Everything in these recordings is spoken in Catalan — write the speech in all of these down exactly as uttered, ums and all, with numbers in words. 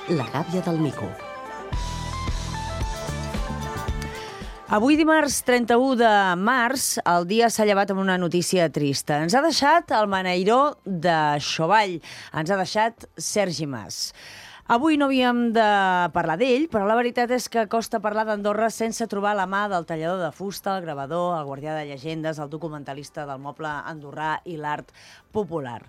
La gàbia del mico. Avui, dimarts trenta-u de març, el dia s'ha llevat amb una notícia trista. Ens ha deixat el beneiró de Xovall. Ens ha deixat Sergi Mas. Avui no havíem de parlar d'ell, però la veritat és que costa parlar d'Andorra sense trobar la mà del tallador de fusta, el gravador, el guardià de llegendes, el documentalista del moble andorrà i l'art popular.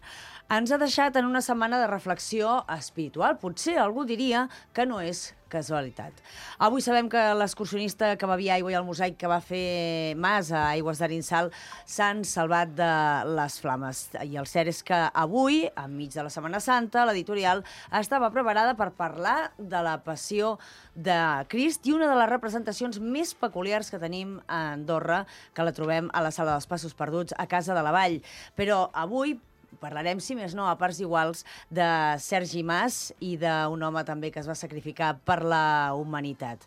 Ens ha deixat en una setmana de reflexió espiritual. Potser algú diria que no és casualitat. Avui sabem que l'excursionista que bevia aigua i el mosaic que va fer Mas a Aigües d'Arinsal s'han salvat de les flames. I el cert és que avui, enmig de la Setmana Santa, l'editorial estava preparada per parlar de la passió de Crist i una de les representacions més peculiars que tenim a Andorra, que la trobem a la Sala dels Passos Perduts, a Casa de la Vall. Però avui parlarem, si més no, a parts iguals, de Sergi Mas i d'un home també que es va sacrificar per la humanitat.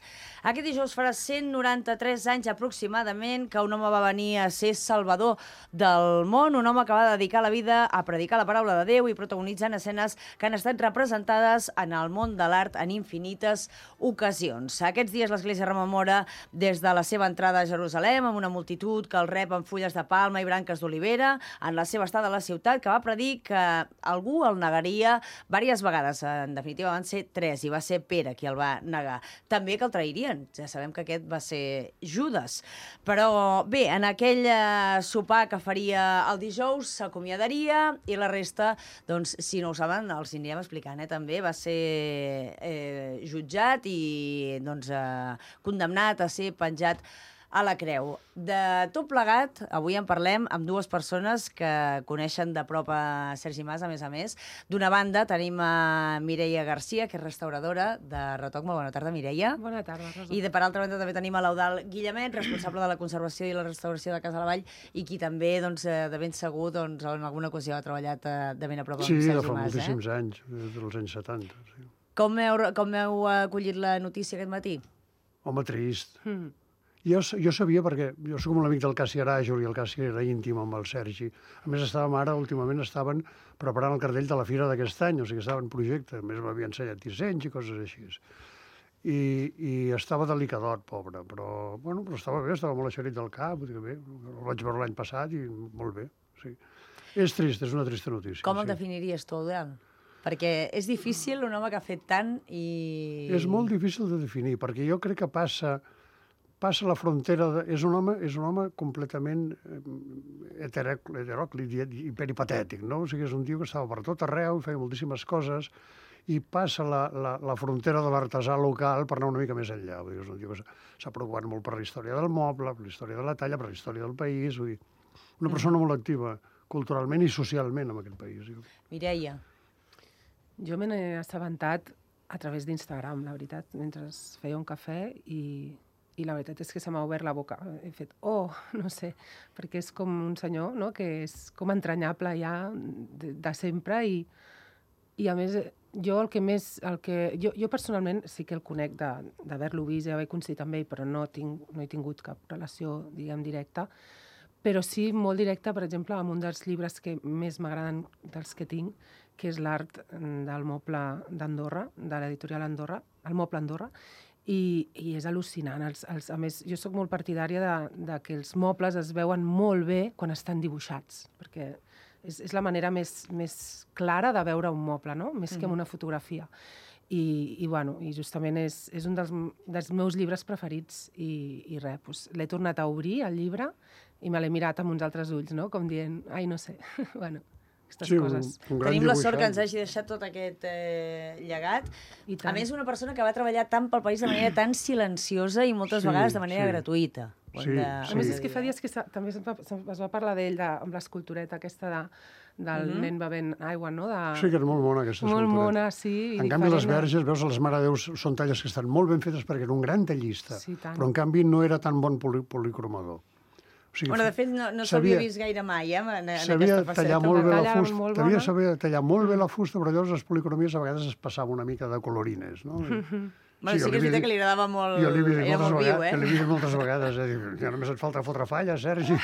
Aquest dijous farà cent noranta-tres anys aproximadament que un home va venir a ser salvador del món, un home que va dedicar la vida a predicar la paraula de Déu i protagonitzant escenes que han estat representades en el món de l'art en infinites ocasions. Aquests dies l'Església rememora des de la seva entrada a Jerusalem amb una multitud que el rep amb fulles de palma i branques d'olivera en la seva estada a la ciutat, que va predir que algú el negaria diverses vegades. En definitiva van ser tres i va ser Pere qui el va negar. També que el trairien. Ja sabem que aquest va ser Judes. Però bé, en aquell eh, sopar que faria el dijous s'acomiadaria i la resta, doncs, si no ho saben, els anirem explicant, eh, també. Va ser eh, jutjat i doncs, eh, condemnat a ser penjat a la creu. De tot plegat, avui en parlem amb dues persones que coneixen de prop a Sergi Mas, a més a més. D'una banda tenim a Mireia Garcia, que és restauradora de Retoc. Molt bona tarda, Mireia. Bona tarda, Rosa. I de, per altra banda també tenim a l'Eudald Guillemet, responsable de la conservació i la restauració de Casa de la Vall, i qui també, doncs, de ben segur, doncs, en alguna ocasió ha treballat de ben a prop amb sí, Sergi Mas. Sí, fa moltíssims eh? anys, des dels anys setanta. Sí. Com heu, com heu acollit la notícia aquest matí? Home, trist. Mm. Jo, jo sabia, perquè jo soc molt amic del Cassi Aràjol i el Cassi era íntim amb el Sergi. A més, estàvem ara, últimament, estaven preparant el cartell de la fira d'aquest any, o sigui, estava en projecte. A més, m'havia ensenyat dissenys i coses així. I, i estava delicadot, pobre, però, bueno, però estava bé, estava molt eixerit del cap, vull dir que bé, el vaig veure l'any passat i molt bé, sí. És trist, és una trista notícia. Com el sí. definiries tu, Eudald? Perquè és difícil un home que ha fet tant i... És molt difícil de definir, perquè jo crec que passa... passa la frontera... De, és, un home, és un home completament heteròclit i, i peripatètic, no? O sigui, és un tio que estava per tot arreu i feia moltíssimes coses i passa la, la, la frontera de l'artesà local per anar una mica més enllà. Vull dir, és un tio que s'ha preocupat molt per la història del moble, per la història de la talla, per la història del país. Vull dir, una persona molt activa culturalment i socialment en aquest país. Mireia. Jo me n'he assabentat a través d'Instagram, la veritat, mentre feia un cafè i... I la veritat és que se m'ha obert la boca. He fet, oh, no sé, perquè és com un senyor, no?, que és com entranyable ja de, de sempre i, i a més, jo el que més... El que, jo, jo personalment sí que el conec d'haver-lo vist, ja ho he coincidit amb ell, però no, tinc, no he tingut cap relació, diguem, directa, però sí molt directa, per exemple, amb un dels llibres que més m'agraden dels que tinc, que és l'art del moble d'Andorra, de l'editorial Andorra, el moble Andorra, I, i és al·lucinant. Els, els, a més, jo sóc molt partidària de, de que els mobles es veuen molt bé quan estan dibuixats, perquè és, és la manera més, més clara de veure un moble, no?, més que en una fotografia. I, i, bueno, i justament és, és un dels, dels meus llibres preferits i, i res, doncs, l'he tornat a obrir, el llibre, i me l'he mirat amb uns altres ulls, no?, com dient, ai, no sé, bueno... Sí, coses. Un, un Tenim dibuixant. la sort que ens hagi deixat tot aquest eh, llegat. A més, una persona que va treballar tant pel país de manera tan silenciosa i moltes sí, vegades de manera sí. gratuïta. Sí, de... sí. A més, és que fa dies que també es va, es va parlar d'ell de, amb l'escultureta aquesta de, del mm-hmm. nen bevent aigua, no? De... Sí, que és molt mona, aquesta molt escultureta. Molt mona, sí. En canvi, les verges, veus, les Mare de Déu són talles que estan molt ben fetes perquè era un gran tallista, sí, però en canvi no era tan bon poli policromador. O sigui, bueno, de fet, no, no s'havia vist gaire mai, eh, en, en sabia aquesta faceta. tallar molt bé la fusta, molt sabia saber tallar molt bé la fusta, però llavors les policromies a vegades es passava una mica de colorines, no? Mm-hmm. Bueno, sí, sí que és veritat que li agradava molt... Jo li havia dit era molt viu, eh? Jo li havia dit moltes vegades, eh? Ja només et falta fotre falla, Sergi.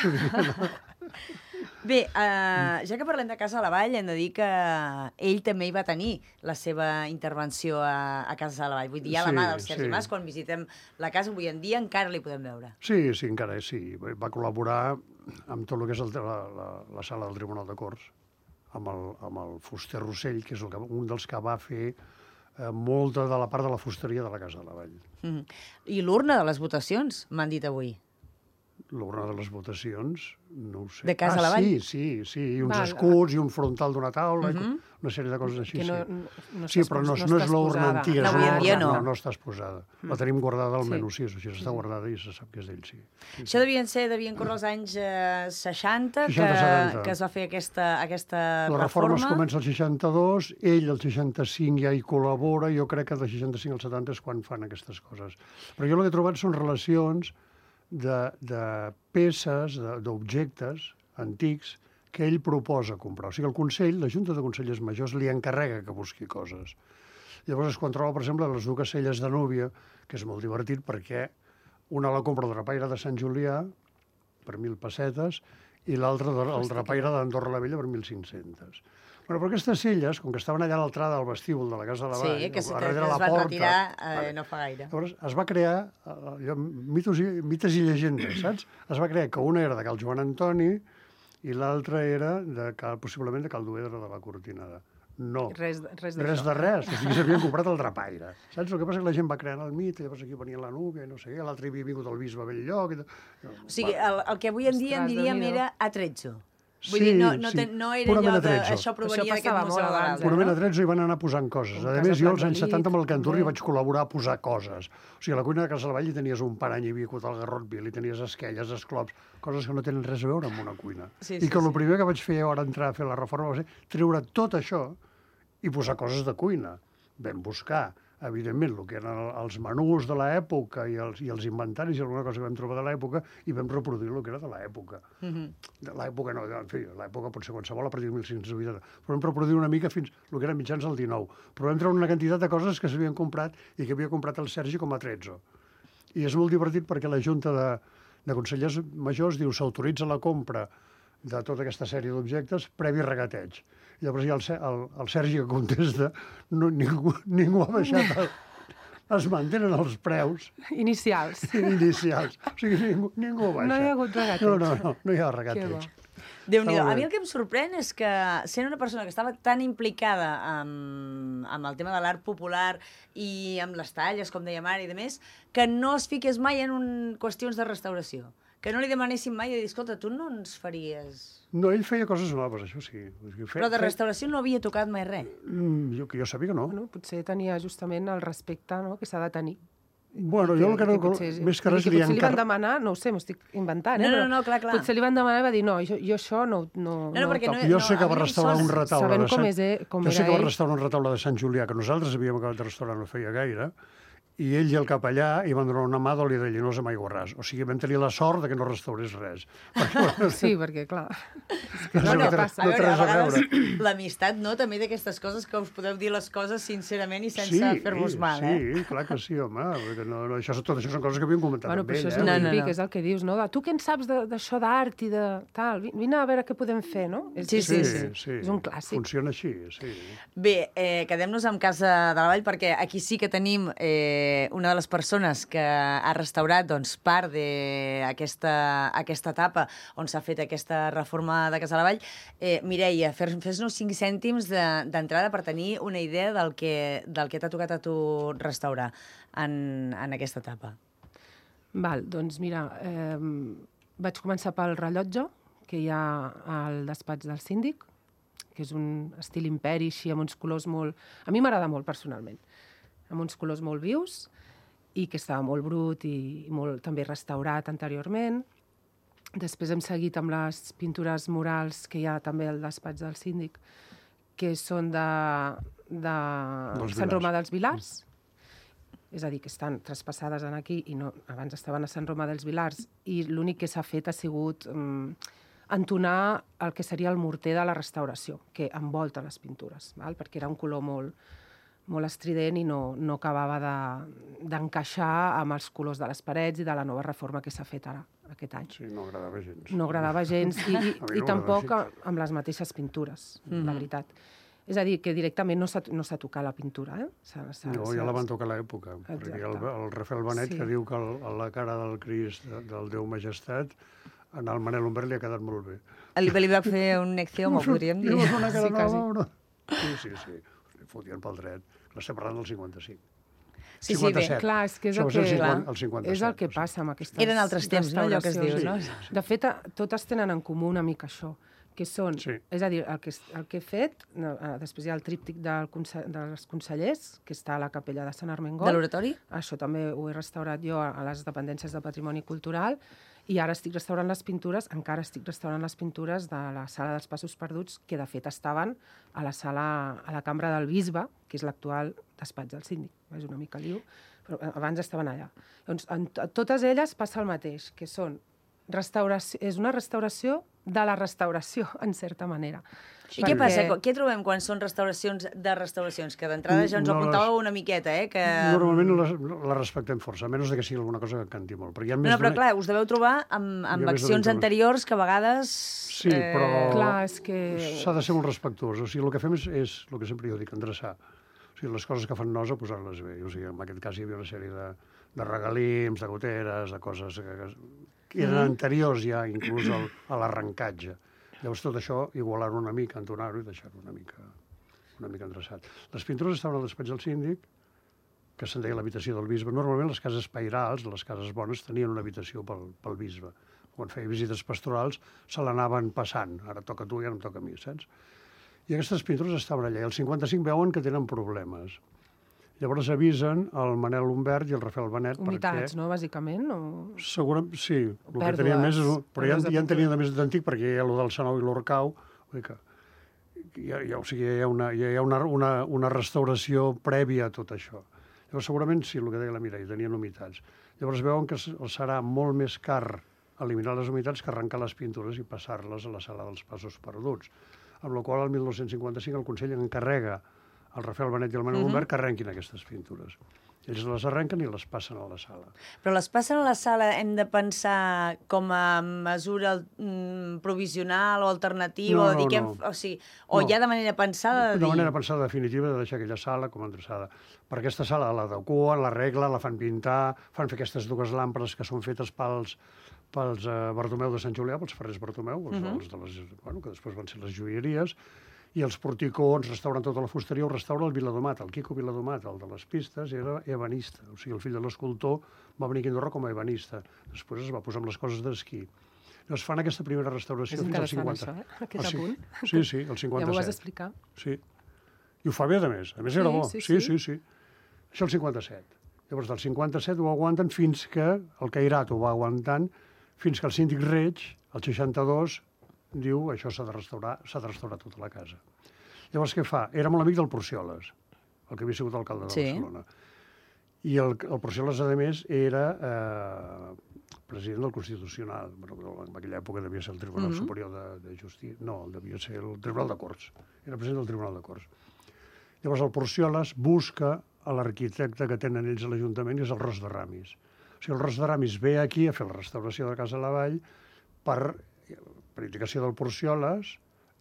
Bé, uh, ja que parlem de Casa la Vall, hem de dir que ell també hi va tenir la seva intervenció a, a Casa la Vall. Vull dir, a la Sí, mà del Sergi sí. Mas, quan visitem la casa avui en dia, encara li podem veure. Sí, sí, encara és, sí. Va col·laborar amb tot el que és el, la, la, la sala del Tribunal de Corts, amb el, amb el fuster Rossell, que és el que, un dels que va fer eh, molta de la part de la fusteria de la Casa de la Vall. Mm -hmm. I l'urna de les votacions, m'han dit avui. L'urna de les votacions, no ho sé. De Casa ah, la Vall? Sí, sí, sí, i uns Val. escuts, i un frontal d'una taula, Mhm. i una sèrie de coses així, Que no, sí. no, no Sí, està però no, expos- no és està l'urna exposada. antiga. No, és avui en l'urna- dia no. No, no està exposada. La tenim guardada al Sí. menú, sí, o sigui, està guardada i se sap que és d'ell, sí. sí, Això devien ser, devien córrer els anys eh, seixanta, que, seixanta, setanta. que es va fer aquesta, aquesta La reforma es reforma. comença al seixanta-dos, ell el seixanta-cinc ja hi col·labora, jo crec que del seixanta-cinc al setanta és quan fan aquestes coses. Però jo el que he trobat són relacions de, de peces, de- d'objectes antics, que ell proposa comprar. O sigui, el Consell, la Junta de Consellers Majors, li encarrega que busqui coses. Llavors es controla, per exemple, les dues celles de núvia, que és molt divertit perquè una la compra el drapaire de Sant Julià per mil pessetes i l'altra el drapaire d'Andorra la Vella per mil cinc-cents. Bueno, però aquestes celles, com que estaven allà a l'altrada del vestíbul de la Casa de la Vall, Sí, que, se- que, darrere que de la es van porta, retirar eh, vale. no fa gaire. Llavors es va crear, eh, allò, mitos i, mites i llegendes, saps? Es va crear que una era de Cal Joan Antoni i l'altra era de Cal, possiblement de Cal Duedra de la Cortinada. No, Res, res d'això. res de res. O sigui, s'havien comprat el drapaire. Saps? El que passa és que la gent va creant el mite, llavors aquí venia la núvia, i no sé què, l'altre havia vingut el bisbe a Belllloc... I... O sigui, el, el que avui en dia en Ostres, diríem Déu-n'hi-do. era atrezzo. Vull Sí, dir, no, no, sí. ten, no era Purament allò de... atrezzo. Això provenia Això d'aquest passava museu molt de abans, l'Alba. eh? Purament a trets hi van anar posant coses. Com A Casa més, jo als Prat anys del setanta amb el Llit, Canturri també. vaig col·laborar a posar coses. O sigui, a la cuina de Casa de la Vall hi tenies un parany, hi havia el garrot vil, hi tenies esquelles, esclops, coses que no tenen res a veure amb una cuina. Sí, I sí, que el sí. primer que vaig fer ara entrar a fer la reforma va ser treure tot això i posar coses de cuina. Vam buscar, evidentment, el que eren els menús de l'època i els, i els inventaris i alguna cosa que vam trobar de l'època i vam reproduir el que era de l'època. Mhm. De l'època no, en fi, l'època pot ser qualsevol a partir de mil cinc-cents vuitanta, però vam reproduir una mica fins el que eren mitjans del dinou. Però vam treure una quantitat de coses que s'havien comprat i que havia comprat el Sergi com a atrezzo. I és molt divertit perquè la Junta de, de Consellers Majors diu s'autoritza la compra de tota aquesta sèrie d'objectes previ regateig. Llavors hi ha el, Se- el, el Sergi que contesta, no, ningú, ningú ha baixat el, es mantenen els preus Inicials. inicials. O sigui, ningú, ningú baixa. No hi ha hagut regateig. No, no, no, no hi ha Que regateig. bo. Déu-n'hi-do. Està molt A mi bé. el que em sorprèn és que, sent una persona que estava tan implicada amb, amb el tema de l'art popular i amb les talles, com dèiem ara, i de més, que no es fiqués mai en un, qüestions de restauració. Que no li demanessin mai de dir, escolta, tu no ens faries... No, ell feia coses noves, això sí. O sigui, fe, Però de fe- restauració no havia tocat mai res. Mm, jo, que jo sabia que no. Bueno, potser tenia justament el respecte, no?, que s'ha de tenir. Bueno, jo el que no... potser- Més que vull res dir li potser li van encar... demanar, no ho sé, m'ho estic inventant, No, eh? no, però no, clar, clar. Potser li van demanar i va dir, no, jo, jo això no, no, No, no, perquè ho no- toco. Jo sé que a va mi restaurar sols- un retaule sabent de com Sant... és, eh, com jo sé era que va ell. restaurar un retaule de Sant Julià, que nosaltres havíem acabat de restaurar no feia gaire, i ell i el capellà hi van donar una mà d'oli de llinós amb aigua ras. O sigui, vam tenir la sort de que no restaurés res. Perquè, bueno, Sí, perquè, clar, és que No, no, no, no, té- passa. A no veure, té res a a vegades l'amistat, no?, també d'aquestes coses que us podeu dir les coses sincerament i sense sí, fer-vos mal, sí, eh? Sí, clar que sí, home. Perquè no, no, això, tot això són coses que havíem comentat Bueno, amb però ell. això és eh? el No, no, típic, no. és el que dius, no? De, tu què en saps de- d'això d'art i de tal? Vi- Vine a veure què podem fer, no? És, Sí, sí, sí, sí. És un clàssic. Funciona així, sí. Bé, eh, quedem-nos amb Casa de la Vall perquè aquí sí que tenim eh, una de les persones que ha restaurat doncs, part d'aquesta aquesta etapa on s'ha fet aquesta reforma de Casa de la Vall. Eh, Mireia, fes- fes-nos cinc cèntims de- d'entrada per tenir una idea del que, del que t'ha tocat a tu restaurar en, en aquesta etapa. Val, doncs mira, eh, vaig començar pel rellotge que hi ha al despatx del síndic, que és un estil imperi, així, amb uns colors molt... A mi m'agrada molt, personalment. Amb uns colors molt vius i que estava molt brut i molt també restaurat anteriorment. Després hem seguit amb les pintures murals que hi ha també al despatx del síndic, que són de, de Dels Sant Vilars. Romà dels Vilars. És a dir, que estan traspassades en aquí i no, abans estaven a Sant Romà dels Vilars i l'únic que s'ha fet ha sigut um, entonar el que seria el morter de la restauració, que envolta les pintures, val? Perquè era un color molt, molt estrident i no, no acabava d'encaixar de, amb els colors de les parets i de la nova reforma que s'ha fet ara, aquest any. Sí, no agradava gens. No agradava gens i, i, no i tampoc amb les mateixes pintures, mm. la veritat. És a dir, que directament no s'ha no tocat la pintura, eh? S ha, s ha, no, ja la van tocar a l'època, perquè el, el Rafael Benet, sí. que diu que el, la cara del Crist, del Déu Majestat, en el Manel Humbert li ha quedat molt bé. Li, li va fer un eccioma, podríem dir. Li va fer una cara sí, nova, no? Sí, sí, sí. Li fotien pel dret. L'estem parlant del cinquanta-cinc. Sí, sí, cinquanta-set. Bé, clar, és que és el que, que, cinquanta, el cinquanta-set, és el que passa amb aquestes Eren altres temps, no?, allò que es diu, sí, no? Sí, sí. De fet, totes tenen en comú una mica això, que són, sí. és a dir, el que, el que he fet, no, després hi ha el tríptic del conse dels consellers, que està a la capella de Sant Armengol. De l'oratori? Això també ho he restaurat jo a les dependències de Patrimoni Cultural, i ara estic restaurant les pintures, encara estic restaurant les pintures de la sala dels Passos Perduts, que de fet estaven a la sala, a la cambra del bisbe, que és l'actual despatx del síndic. És una mica liu, però abans estaven allà. Doncs en totes elles passa el mateix, que són restauració, és una restauració de la restauració, en certa manera. I què passa? Què trobem quan són restauracions de restauracions? Que d'entrada ja ens ho apuntàveu una miqueta, eh? Que... Normalment la, la respectem força, a menys que sigui alguna cosa que canti molt. Però, hi ha més no, no, però clar, us deveu trobar amb, amb accions anteriors que a vegades... Sí, però eh... clar, és que... s'ha de ser molt respectuós. O sigui, el que fem és, és el que sempre jo dic, endreçar. O sigui, les coses que fan nosa, posar-les bé. O sigui, en aquest cas hi havia una sèrie de, de regalims, de goteres, de coses que, que eren mm. anteriors ja, inclús al, a l'arrencatge. Llavors tot això, igualar-ho una mica, entonar-ho i deixar-ho una mica, una mica endreçat. Les pintures estaven al despatx del síndic, que se'n deia l'habitació del bisbe. Normalment les cases pairals, les cases bones, tenien una habitació pel, pel bisbe. Quan feia visites pastorals se l'anaven passant. Ara toca a tu i ara em toca a mi, saps? I aquestes pintures estaven allà. I el cinquanta-cinc veuen que tenen problemes. Llavors avisen el Manel Humbert i el Rafael Benet. Humitats, perquè... no, bàsicament? O... Segurament, sí. El Pèrdues, que tenien més és... Però ja, ja en tenien de més d'antic, perquè hi ha el del Sanou i l'Orcau. Vull dir que ja, ja, o sigui, hi ha, una, hi ha una, una, una restauració prèvia a tot això. Llavors, segurament, sí, el que deia la Mireia, tenien humitats. Llavors veuen que serà molt més car eliminar les humitats que arrencar les pintures i passar-les a la sala dels Passos Perduts. Amb la qual, el mil nou-cents cinquanta-cinc, el Consell encarrega el Rafael Benet i el Manel Humbert que arrenquin aquestes pintures. Ells les arrenquen i les passen a la sala. Però les passen a la sala, hem de pensar com a mesura mm, provisional o alternativa? No, o, dir no, que no. Hem, o, sigui, o no. ja de manera pensada? De, de dir... manera pensada definitiva de deixar aquella sala com a endreçada. Per aquesta sala l'adequen, l'arreglen, la fan pintar, fan fer aquestes dues làmperes que són fetes pels, pels uh, Bartomeu de Sant Julià, pels ferrers Bartomeu, els, uh -huh. els de les, bueno, que després van ser les joieries, i els porticons, restauren tota la fusteria, ho restaura el Viladomat, el Quico Viladomat, el de les pistes, era ebanista. O sigui, el fill de l'escultor va venir aquí a Andorra com a ebanista. Després es va posar amb les coses d'esquí. Llavors fan aquesta primera restauració és fins al cinquanta. cinquanta. Això, eh? Aquest ah, sí. apunt. Sí, sí, el cinquanta-set. Ja m'ho vas explicar. Sí. I ho fa bé, a més. A més, sí, era bo. Sí, sí, sí. sí, sí. Això el cinquanta-set. Llavors, del cinquanta-set ho aguanten fins que el Cairat ho va aguantant, fins que el síndic Reig, el seixanta-dos, diu això s'ha de restaurar, s'ha de restaurar tota la casa. Llavors, què fa? Era molt amic del Porcioles, el que havia sigut alcalde de sí. Barcelona. I el, el Porcioles, a més, era eh, president del Constitucional. Bueno, en aquella època devia ser el Tribunal mm-hmm. Superior de, de Justícia. No, devia ser el Tribunal de Corts. Era president del Tribunal de Corts. Llavors, el Porcioles busca a l'arquitecte que tenen ells a l'Ajuntament, que és el Ros de Ramis. O sigui, el Ros de Ramis ve aquí a fer la restauració de Casa Lavall per, per indicació del Porcioles,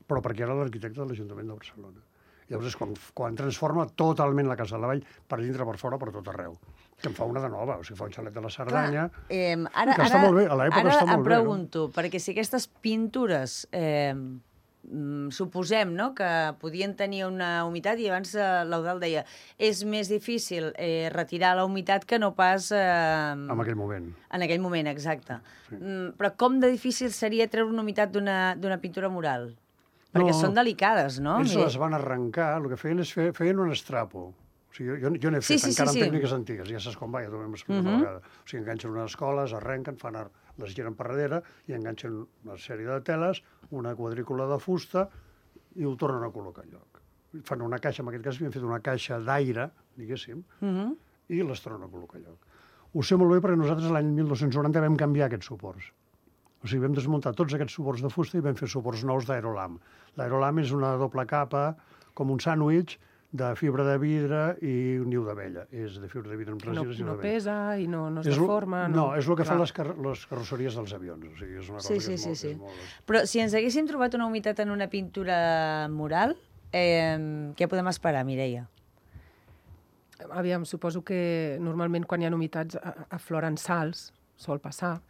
però perquè era l'arquitecte de l'Ajuntament de Barcelona. Llavors és quan, quan transforma totalment la Casa de la Vall, per dintre, per fora, per tot arreu. Que en fa una de nova, o sigui, fa un xalet de la Cerdanya, clar, eh, ara, que ara, està molt bé, a l'època està molt bé. Ara em pregunto, no? Perquè si aquestes pintures, eh, mm, suposem, no?, que podien tenir una humitat, i abans eh, l'Eudald deia, és més difícil eh, retirar la humitat que no pas... Eh, en aquell moment. En aquell moment, exacte. Sí. Mm, però com de difícil seria treure una humitat d'una pintura mural? Perquè no, són delicades, no? Ells les van arrencar, el que feien és fer, feien un estrapo. O sigui, jo, jo n'he fet, sí, sí, encara sí, amb sí. tècniques antigues, ja saps com va, ja t'ho hem explicat uh-huh. una vegada. O sigui, enganxen unes escoles, arrenquen, fan ar... les giren per darrere i enganxen una sèrie de teles, una quadrícula de fusta i ho tornen a col·locar al lloc. Fan una caixa, en aquest cas havien fet una caixa d'aire, diguéssim, uh-huh. i les tornen a col·locar al lloc. Ho sé molt bé perquè nosaltres l'any mil dos-cents noranta vam canviar aquests suports. O sigui, vam desmuntar tots aquests suports de fusta i vam fer suports nous d'aerolam. L'aerolam és una doble capa, com un sàndwich, de fibra de vidre i un niu d'abella. És de fibra de vidre amb No, resines i no d'abella. pesa i no, no es És lo- deforma. No, és el que fan Clar. les, car les carrosseries dels avions. O sigui, és una cosa Sí, que sí, és sí, molt... sí. És molt... Però si ens haguéssim trobat una humitat en una pintura mural, eh, què podem esperar, Mireia? Aviam, suposo que normalment quan hi ha humitats a- afloren sals, sol passar,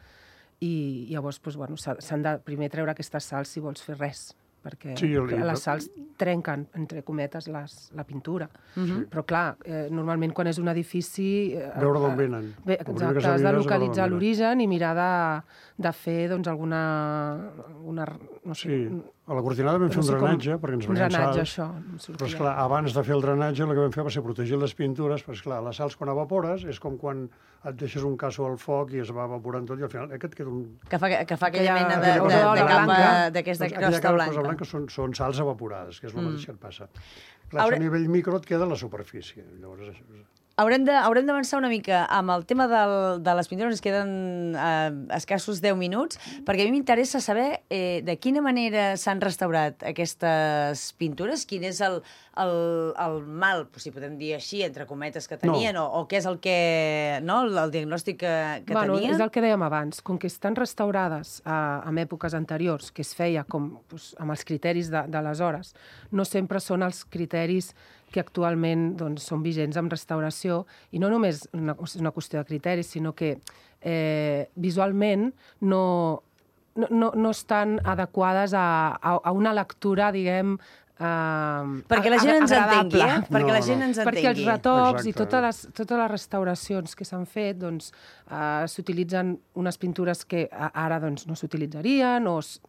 i llavors doncs, bueno, s'ha- s'han de primer treure aquestes sals si vols fer res, perquè Sí, el- les sals trenquen, entre cometes, les, la pintura. Mhm. Però clar, eh, normalment quan és un edifici... Eh, Veure d'on eh, venen. Bé, El primer que exacte, s'ha de has de mirar és veure localitzar d'on venen. l'origen i mirar de, de fer doncs, alguna... Una, no sé, Sí, a la cortinada vam fer no un sé com- drenatge, perquè ens un venien drenatge, sals. això. em Però, sortia. esclar, abans de fer el drenatge, el que vam fer va ser protegir les pintures, però, esclar, les sals, quan evapores, és com quan et deixes un casso al foc i es va evaporant tot, i al final aquest queda un... Que fa, que fa aquella Aquella- mena de, de, aquella de, cosa de capa blanca. d'aquesta Doncs aquella crosta cosa blanca. blanca són, són sals evaporades, que és el Mm. mateix que et passa. Clar, Hauré- això a nivell micro et queda a la superfície. Llavors, això... Haurem de- haurem d'avançar una mica amb el tema del, de les pintures, ens queden eh, escassos deu minuts, perquè a mi m'interessa saber eh, de quina manera s'han restaurat aquestes pintures, quin és el, el, el mal, si podem dir així, entre cometes, que tenien, no. o, o què és el que, no, el, el diagnòstic que, que bueno, tenien. és el que dèiem abans, com que estan restaurades a, en èpoques anteriors, que es feia com, doncs, amb els criteris de- d'aleshores, no sempre són els criteris que actualment doncs, són vigents en restauració, i no només una, és una qüestió de criteris, sinó que eh, visualment no, no, no, no estan adequades a, a, a una lectura, diguem, Uh, Perquè la gent ens agradable. entengui, eh? Perquè No, la gent no. ens entengui. Perquè els retocs Exacte. i totes les, totes les restauracions que s'han fet, doncs, uh, s'utilitzen unes pintures que a- ara doncs, no s'utilitzarien, o s-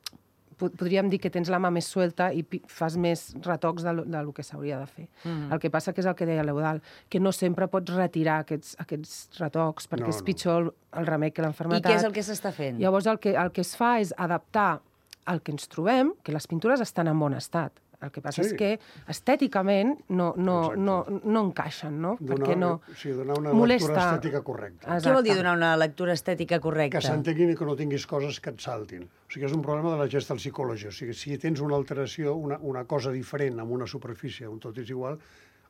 po- podríem dir que tens la mà més suelta i pi- fas més retocs de, lo- de lo que s'hauria de fer. Mhm. El que passa que és el que deia l'Eudal, que no sempre pots retirar aquests, aquests retocs, perquè No, és no. pitjor el, el remei que I l'enfermetat. què és el que s'està fent? Llavors el que, el que es fa és adaptar el que ens trobem, que les pintures estan en bon estat. El que passa Sí. és que estèticament no, no, Exacte. no, no encaixen, no? Donar, Perquè no... sí, donar una molesta. lectura estètica correcta. Exacte. Què vol dir donar una lectura estètica correcta? Que s'entenguin i que no tinguis coses que et saltin. O sigui, és un problema de la gestal psicologia. O sigui, si tens una alteració, una, una cosa diferent amb una superfície on tot és igual,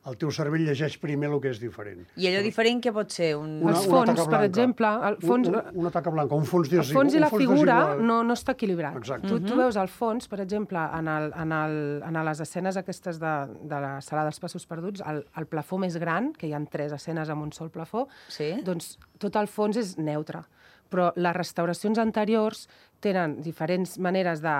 el teu cervell llegeix primer el que és diferent. I allò diferent què pot ser? Un... Una- Els una fons, taca per blanca. exemple, el fons, Un, un, una taca blanca, un fons, el fons i un la fons figura desigual. no, no està equilibrat. Exacte. Tu, tu veus el fons, per exemple, en, el, en, el, en les escenes aquestes de, de la sala dels passos perduts, el, el plafó més gran, que hi ha tres escenes amb un sol plafó, Sí? doncs tot el fons és neutre. Però les restauracions anteriors tenen diferents maneres de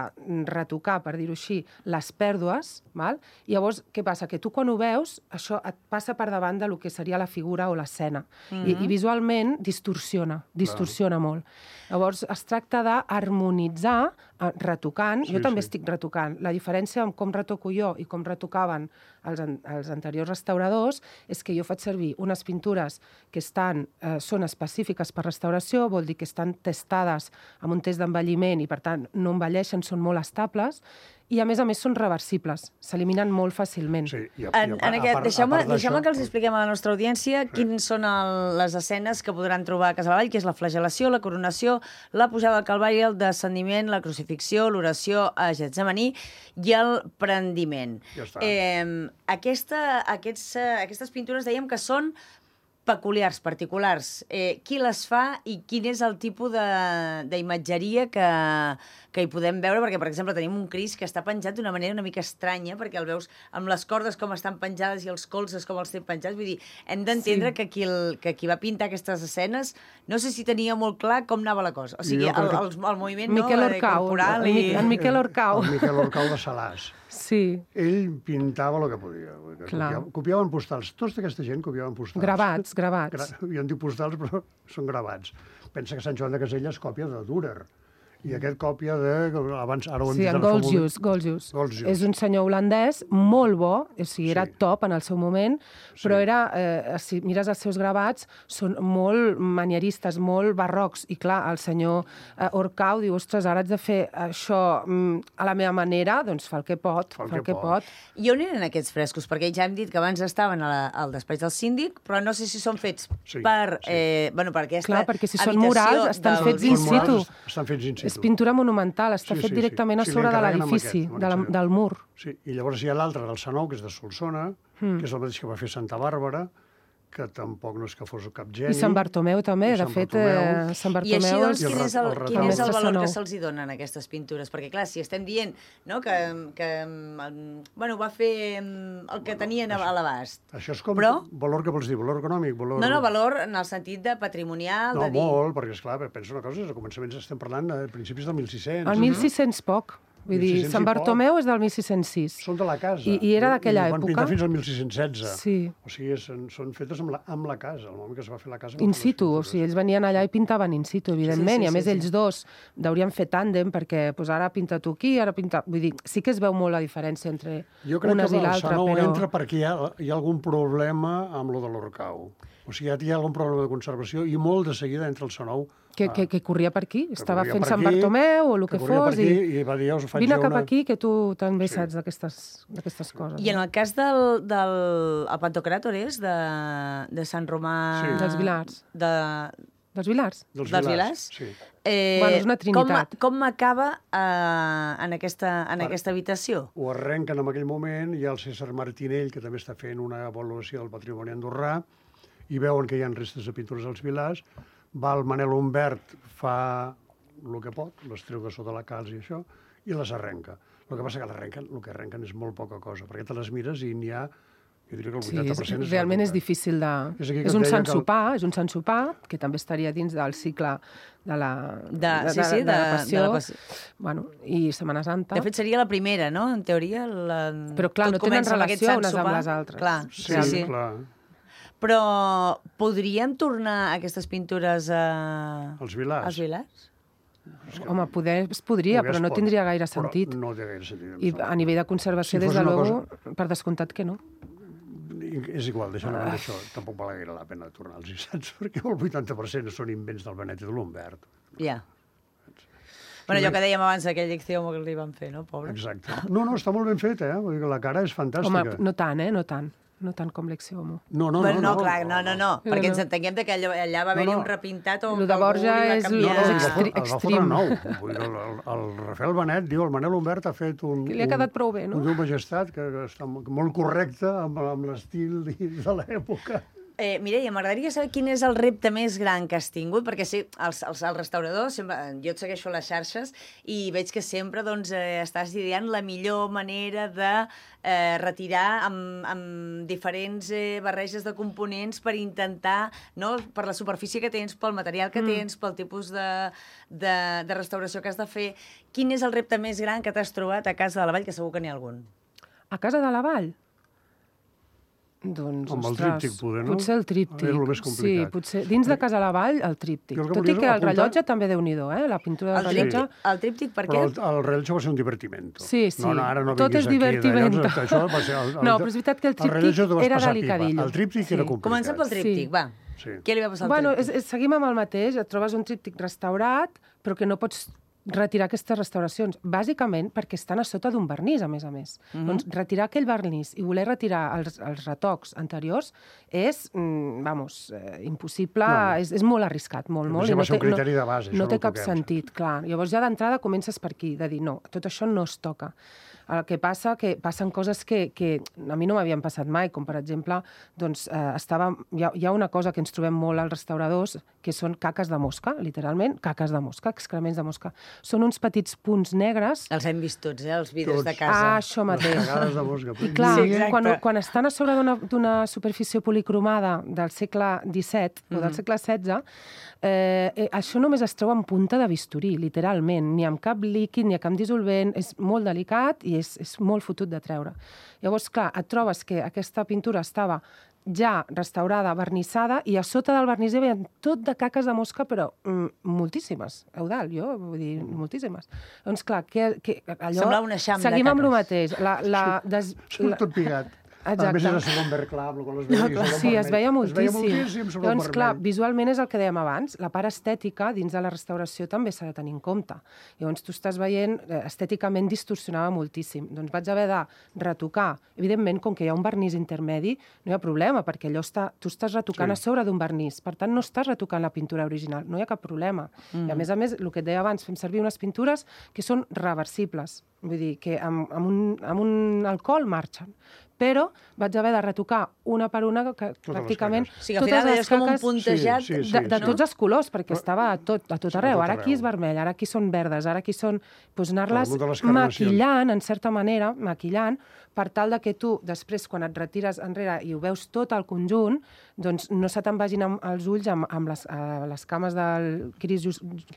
retocar, per dir-ho així, les pèrdues, val? I llavors, què passa? Que tu quan ho veus, això et passa per davant de lo que seria la figura o l'escena. Mm -hmm. I, I visualment distorsiona, distorsiona molt. Llavors, es tracta d'harmonitzar, eh, retocant. Sí, jo també sí. estic retocant. La diferència amb com retoco jo i com retocaven els, an els anteriors restauradors és que jo faig servir unes pintures que estan, eh, són específiques per restauració, vol dir que estan testades amb un test d'envelliment i, per tant, no envelleixen, són molt estables, i, a més a més, són reversibles. S'eliminen molt fàcilment. Sí, i a, En, i a, en a aquest, part- a deixeu-me part deixeu d'això- que els expliquem a la nostra audiència sí. quines són el, les escenes que podran trobar a Casalvall, que és la flagel·lació, la coronació, la pujada al Calvari, el descendiment, la crucifixió, l'oració a Getsemaní i el prendiment. Ja està. Eh, aquesta, aquests, eh, aquestes pintures dèiem que són peculiars, particulars. Eh, qui les fa i quin és el tipus de- d'imatgeria que, que hi podem veure? Perquè, per exemple, tenim un Crist que està penjat d'una manera una mica estranya, perquè el veus amb les cordes com estan penjades i els colzes com els té penjats. Vull dir, hem d'entendre Sí. que, qui el, que qui va pintar aquestes escenes no sé si tenia molt clar com anava la cosa. O sigui, Jo el, crec que- el, el moviment Miquel no, Orcau, corporal en, i... Mi- en Miquel Orcau. El Miquel Orcau de Salàs. Sí, Ell pintava el que podia. Clar. Copiava, copiaven postals. Tots d'aquesta gent copiaven postals. gravats, gravats. Gra jo en dic postals, però són gravats. Pensa que Sant Joan de Caselles còpia de Dürer. I aquest còpia de... Abans, ara ho hem Sí, dit en ara fa un moment. Goldzius, Goldzius. Goldzius. És un senyor holandès molt bo, o sigui, era Sí. top en el seu moment, però Sí. era, eh, si mires els seus gravats, són molt manieristes, molt barrocs. I clar, el senyor eh, Orcau diu, ostres, ara haig de fer això mm, a la meva manera, doncs fa el que pot, fa el que pot. I on eren aquests frescos? Perquè ja hem dit que abans estaven a la, al despatx del síndic, però no sé si són fets Sí, per, sí. eh, bueno, per aquesta Clar, perquè si són habitació murals, estan del fets in bisbe. situ. Estan fets in situ. És És pintura monumental, està Sí, fet sí, directament sí. a Sí, sobre de l'encarreguen amb l'edifici, aquest, amb de la- aquest. del mur. Sí, i llavors hi ha l'altre del Sanou, que és de Solsona, Mm. que és el mateix que va fer Santa Bàrbara, que tampoc no és que fos cap geni. I Sant Bartomeu també, I de Sant fet, Bartomeu. eh, Sant I Bartomeu així, doncs, I el quin re- és el, el quin és el retaule. valor que Mestre se'ls hi donen a aquestes pintures? Perquè, clar, si estem dient no, que, que mm, bueno, va fer mm, el que tenien a l'abast. Això és com Però- valor que vols dir, valor econòmic, valor... No, no, valor en el sentit de patrimonial, No, de dir... molt, perquè, esclar, pensa una cosa, a començaments estem parlant de principis del mil sis-cents. El mil sis-cents poc. Vull dir, mil sis-cents Sant i poc. Bartomeu és del mil sis-cents sis. Són de la casa. I- i era d'aquella I van època. pintar fins al mil sis-cents setze. Sí. O sigui, són, són fetes amb la, amb la casa. El moment que es va fer la casa... van In fer les situ, o pintures. sigui, ells venien allà i pintaven in situ, evidentment, sí, i a més sí, sí. ells dos deurien fer tàndem perquè pues, ara pinta tu aquí, ara pinta... Vull dir, sí que es veu molt la diferència entre Jo crec unes que i el l'altra, Sanou però... entra perquè hi ha, hi ha algun problema amb lo de l'Orcau. O sigui, ja hi ha algun problema de conservació i molt de seguida entra el Sanou. Que, que, que corria per aquí, estava corria fent per Sant aquí, Bartomeu o el que, que corria fos, per aquí i i va dir, "Ja us faig vine jo cap una-" aquí, que tu també Sí. saps d'aquestes d'aquestes coses. I en el cas del, del el Pantocràtor és de, de Sant Romà... Sí. Dels Vilars. De, Dels Vilars? Dels, dels Vilars. Vilars? Sí. eh, Bueno, és una trinitat. Com, com acaba eh, en, aquesta, en Per- aquesta habitació? Ho arrenquen en aquell moment, hi ha el César Martinell, que també està fent una avaluació del patrimoni andorrà, i veuen que hi ha restes de pintures als Vilars. Va el Manel Humbert, fa el que pot, les treu de sota la calç i això, i les arrenca. El que passa que l'arrenquen, el que arrenquen és molt poca cosa, perquè te les mires i n'hi ha, jo diria que el Sí, vuitanta és, per cent és... realment és retocat. difícil de... És aquí que És et un deia sant que el- sopar, és un sant sopar, que també estaria dins del cicle de la, De- sí, sí, de, la de- passió. de la passió. Bueno, i Setmana Santa. De fet, seria la primera, no?, en teoria. La... Però, clar, Tot no tenen comença amb aquest relació sant unes amb sopar. les altres. Clar, Sí, sí, sí. clar. Però podríem tornar aquestes pintures a... Els Vilars. als Vilars? Home, poder es podria, Poder però es no pot, tindria gaire però sentit. No té gaire sentit. I a nivell de conservació, Si des fos de una luego, per descomptat que no. És igual, deixant a banda això, tampoc val gaire la pena tornar-los, saps? Perquè el vuitanta per cent són invents del Benet i de l'Humbert. Ja. Bueno, allò que dèiem abans, aquell ictiomo que li van fer, no, pobre? Exacte. No, no, està molt ben fet, eh? Vull dir que la cara és fantàstica. Home, no tant, eh? No tant. No tant com l'Exiomo. No, no, Bueno, no, no, clar, no, no, no, No, perquè no. ens entenguem de que allà, allà va haver-hi No, no. un repintat o Lo de que algú Borja li va és- canviar. No, no, el va, extre- fotre, el va fotre extrem. nou. Vull dir, el, el, el Rafael Benet diu, el Manel Humbert ha fet un... Que li ha quedat prou bé, no? Un Déu Majestat que, que està molt molt correcte amb, amb l'estil de l'època. Eh, Mireia, m'agradaria saber quin és el repte més gran que has tingut, perquè sí, els, els, els restauradors, sempre, jo et segueixo a les xarxes i veig que sempre doncs, eh, estàs ideant la millor manera de eh, retirar amb, amb diferents eh, barreges de components per intentar, no, per la superfície que tens, pel material que tens, pel tipus de, de, de restauració que has de fer. Quin és el repte més gran que t'has trobat a Casa de la Vall, que segur que n'hi ha algun? A Casa de la Vall? Doncs, Amb el ostres, tríptic, poder, no? potser el tríptic. És el més complicat. Sí, potser. Dins de Casa la Vall, el tríptic. Jo el que Tot i volia que el apuntar- rellotge també déu-n'hi-do, eh? La pintura del El rellotge... tríptic, el tríptic per Però què? el, el rellotge va ser un divertimento. Sí, sí. No, no, ara no Tot vinguis és aquí, divertimento. d'allò, això va ser el, el, No, però és veritat que el tríptic rellotge t'ho vas era passar pipa. delicadillo. El tríptic Sí. era complicat. Comencem pel tríptic, Sí. va. Sí. Què li va passar al Bueno, tríptic? és, és, seguim amb el mateix. Et trobes un tríptic restaurat, però que no pots retirar aquestes restauracions, bàsicament perquè estan a sota d'un vernís, a més a més. Mhm. Doncs retirar aquell vernís i voler retirar els, els retocs anteriors és, mm, vamos, eh, impossible, No, no. És, és molt arriscat, molt, A molt. més, i ja va ser un té- criteri de base, això No no té ho cap toquem, sentit, clar. Llavors ja d'entrada comences per aquí, de dir, no, tot això no es toca. El que passa que passen coses que, que a mi no m'havien passat mai, com per exemple, doncs, eh, estava, hi, ha, hi ha una cosa que ens trobem molt als restauradors, que són caques de mosca, literalment, caques de mosca, excrements de mosca. Són uns petits punts negres. Els hem vist tots, eh, els vidres Tots. de casa. Ah, això Les mateix. cagades de mosca. I clar, Sí, sí, exacte. quan, quan estan a sobre d'una d'una superfície policromada del segle disset o del segle setze, eh, eh, això només es troba en punta de bisturí, literalment. Ni amb cap líquid, ni amb cap dissolvent. És molt delicat i és, és molt fotut de treure. Llavors, clar, et trobes que aquesta pintura estava ja restaurada, vernissada, i a sota del vernís hi havia tot de caques de mosca, però mm, moltíssimes. Eudal, jo, vull dir, moltíssimes. Doncs clar, que, que allò... Semblava un eixam de Seguim amb el caques. mateix. La, la, des, Surt tot pigat. Exacte. A més, era segon verd clar, amb la qual es veia, no, sí, es veia moltíssim. Es veia moltíssim sobre Llavors, el clar, vermell. visualment és el que dèiem abans, la part estètica dins de la restauració també s'ha de tenir en compte. Llavors, tu estàs veient, estèticament distorsionava moltíssim. Doncs vaig haver de retocar. Evidentment, com que hi ha un vernís intermedi, no hi ha problema, perquè allò està, tu estàs retocant Sí. a sobre d'un vernís. Per tant, no estàs retocant la pintura original, no hi ha cap problema. Mm. I a més a més, el que et deia abans, fem servir unes pintures que són reversibles. Vull dir, que amb, amb, un, amb un alcohol marxen. Però vaig haver de retocar una per una, que les pràcticament caques. O sigui, al final és com un puntejat Sí, sí, sí. de, de sí. tots els colors, perquè estava a tot, a tot Sí, a arreu. tot Ara aquí és arreu. vermell, ara aquí són verdes, ara aquí són... Doncs anar-les Al damunt de les carnacions. maquillant, en certa manera, maquillant, per tal de que tu, després, quan et retires enrere i ho veus tot al conjunt, doncs no se te'n vagin amb els ulls amb, amb les, uh, les cames del Cris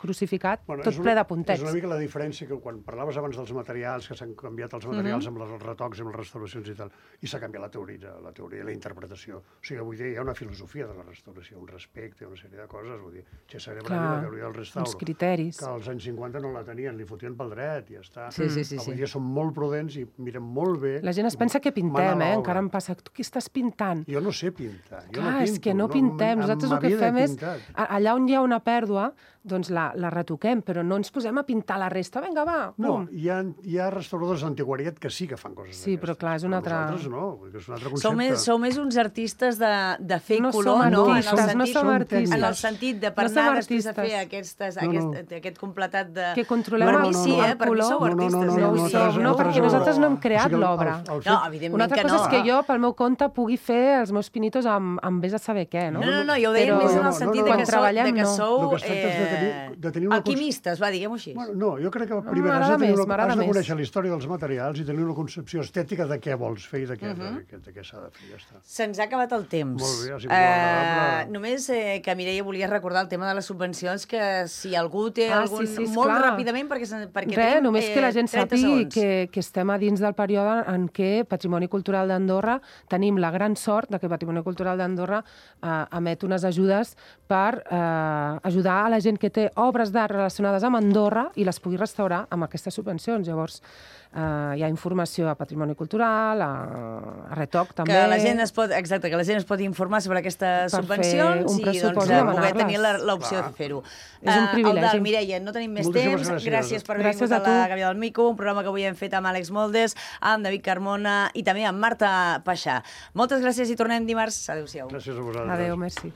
crucificat, Bueno, tot és una- ple de puntets. És una mica la diferència que quan parlaves abans dels materials, que s'han canviat els materials amb els retocs, amb les restauracions i tal, i s'ha canviat la teoria, la teoria i la interpretació. O sigui, avui dia hi ha una filosofia de la restauració, un respecte, una sèrie de coses, vull dir, Cesare Bravi, la teoria del restauro, uns criteris. que als anys cinquanta no la tenien, li fotien pel dret i ja està. Sí, sí, sí, Avui sí. dia som molt prudents i mirem molt bé. La gent es pensa que pintem, Mana eh? l'obra. Encara em passa, tu què estàs pintant? Jo no sé pintar. Jo Clar, no pinto, és que no pintem. Nosaltres el que m'havia de fem és, pintar. a- allà on hi ha una pèrdua, doncs la, la retoquem, però no ens posem a pintar la resta. Vinga, va, No, pum. hi ha, hi ha restauradors d'antiquariat que sí que fan coses Sí, però d'aquestes. clar, és un altre- Nosaltres no, vull dir que és un altre concepte. Sou més, sou més uns artistes de, de fer No color, som no? En el artistes, sentit, no som artistes. En el sentit de per No som anar després a artistes. fer aquestes, No, no. aquest, aquest completat de... Que controlem Per el- mi sí, el eh? Per mi color. sou No, no, no, artistes. no, eh? no, Vull no, dir, som, no, té perquè raó. nosaltres no hem O creat sigui, el- l'obra. el- el fet- No, evidentment Una altra que cosa no. és que jo, pel meu compte, pugui fer els meus pinitos amb, amb vés a saber què, no? No, no, no, jo ho deia Però més en no, no, el sentit no, de no. que Quan sou, treballem, de que no. sou El que es tracta és de tenir- de tenir una cons- alquimistes, va, diguem-ho així. Bueno, no, jo crec que primer has m'agrada de, tenir més, una, m'agrada has de més. conèixer la història dels materials i tenir una concepció estètica de què vols fer i de què, de, què, de què s'ha de fer, ja està. Se'ns ha acabat el temps. Molt bé, ha sigut molt agradable. només eh, que Mireia volia recordar el tema de les subvencions, que si algú té Ah, algun... sí, sí, molt esclar. ràpidament, perquè, se- perquè Res, tenim, només que la gent trenta sàpigui segons. que, que estem a dins del període en què Patrimoni Cultural d'Andorra tenim la gran sort de que Patrimoni Cultural d'Andorra eh, emet unes ajudes per eh, ajudar a la gent que té obres d'art relacionades amb Andorra i les pugui restaurar amb aquestes subvencions. Llavors, eh, hi ha informació a Patrimoni Cultural, a, a Retoc també. Que la gent es pot, exacte, que la gent es pot informar sobre aquestes Per subvencions fer un i pressupost doncs, i eh, poder demanar-les. tenir la- l'opció de fer-ho. És un Eh, privilegi. Eudald, Mireia, no tenim més Moltíssimes temps. gràcies. Gràcies per haver Gràcies vingut a, a tu. la Gàbia del Mico, un programa que avui hem fet amb Àlex Moldes, amb David Carmona i també amb Marta Paixà. Moltes gràcies i tornem dimarts. Adéu-siau. Gràcies a vosaltres. Adéu, merci.